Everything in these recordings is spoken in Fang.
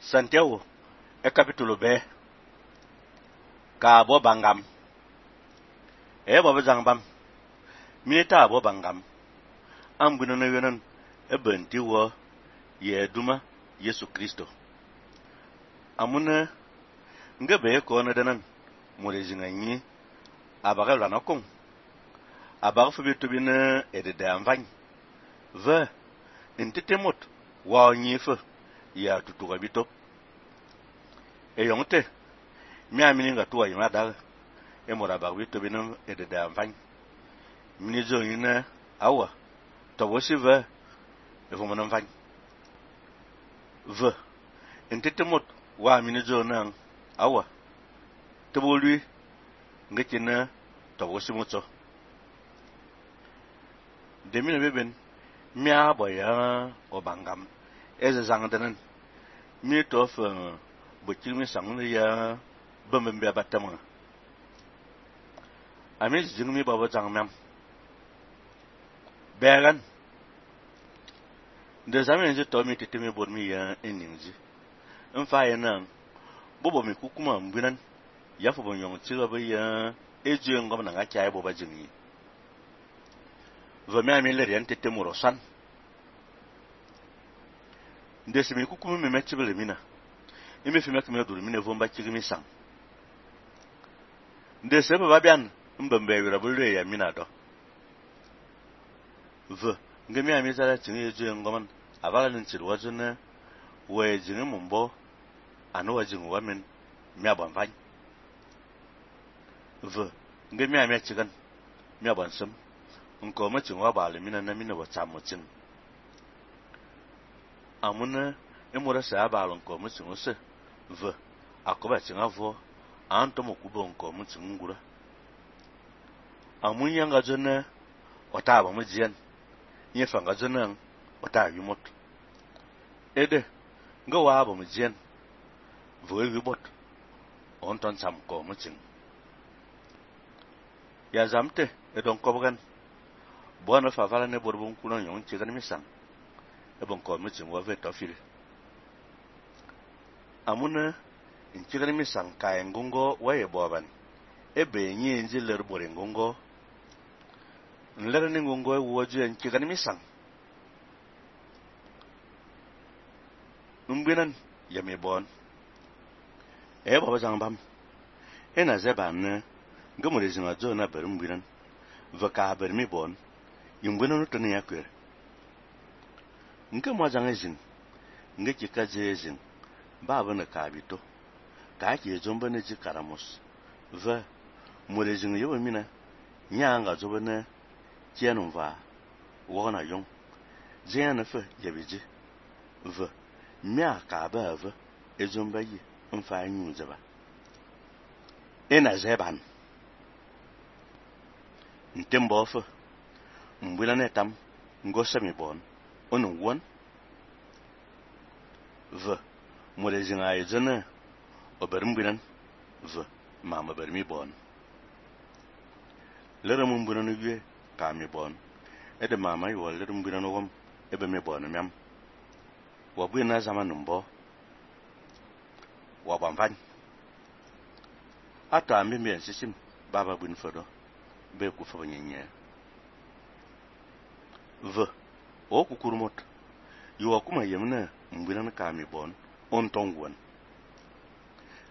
Santiago e capítulo B ka bo bangam e bo bam minita bo bangam am bunu na yonan e benti wo ye duma Yesu Kristo amuna ngabe ko na danan more jinganyi abaga lana kon abaga fu bitu bina edede amvany ve ntitemot wa nyifa ya tutuga bito e yonte mi amini nga tuwa yima daga e mora ba bitu bina edede amvany mini zo yina awa to wosi ve e fu mona mvany ve ntitemot wa mini zo nan awa teboli ngekina to wosi mutso demina beben mia boya obangam eze zangdanan mi to fa bokimi sang ya bambembe batama ami jingmi baba jangmam began de zamen je to mi titimi bormi ya eninji mfa yana bobo mi kukuma mbinan ya fo bon yong tiga ba ya eje ngom na nga chai boba jingi va mi ami le rien titimo rosan ndesimi kukuma mi metibele mina imi fi mek me dur mi ne vomba chigimi sang ndese baba bian mbembe wira bulwe ya mina do ve ngemi ami zara tingi eje ngom abala ntir wajuna we jingi mumbo anu wajingu wamen mi abamvany ve ngemi ami chigan mi abansam nko ma chingwa bale mina na mina watsamotin amuna emora sa balon ko mu tsinose ve akoba tsingavo anto mokubo nko mu tsingura amunya ngajona otaba mujian yefa ngajona ota yumot ede ngawa ba mujian voe wibot onton sam ko mu tsin ya zamte edon kobogan bona favala ne borbun kuno yon chigan misang ebon ko mu tsin wa ve tofile amuna inchigani misang ka engongo waye boban ebe nyi nji ler bore ngongo nler ni ngongo woju inchigani misang numbinan yami bon e baba jangbam ena zeban ngamure zinga zo na berumbinan vaka bermi bon yumbinan to ne yakwer ngamo jangezin ngeki kazezin baba na kabito ka ke zomba ne ji karamos ve murezin yoba mina nyanga zoba na kianum va wona yong zena fe yabiji ve mia ka ba ve ezomba yi mfa nyu zaba ena zeban ntembo fe mbula netam ngosami bon onu won ve murezin ayezana obermbinan ve mama bermi bon leram mbinan yue ka mi bon ede mama yo leram mbinan wom ebe me bon miam wa bwina zaman mbo wa bamvan ata mi me sisim baba bwin fodo be ku fo nyenye ve o kukurumot yo kuma yemna mbinan ka mi bon on tongwon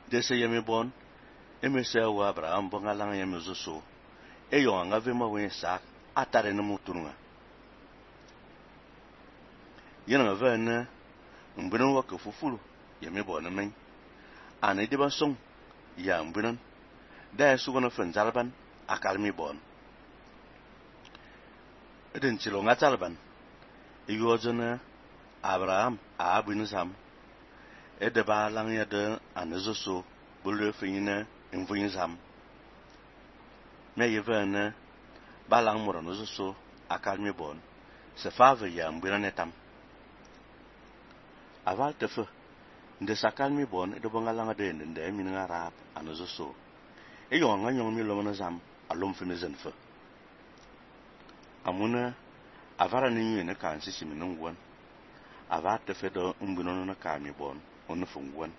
dese yemi bon emese wa Abraham bongalang yemi zoso eyo anga vema wen sak atare na mutunga yana vana mbinan wa ka fufulu yemi bon men ane de ba song ya mbinan da su gona fen zalban akalmi bon eden chilo ngatalban eyo jona Abraham a abinu sam ede ba lang ya de anezoso bulu finyina enfunyin sam me yevana ba lang moro nozoso akalmi bon se fave ya mbira netam aval tefe nde sakalmi bon ede bonga langa de nde min ngarap anezoso e yonga nyong mi lomana zam alom fimi zenfe amuna avara ni nyene kan sisi minun won ava te fe do mbinono na ka mi bon on fungwan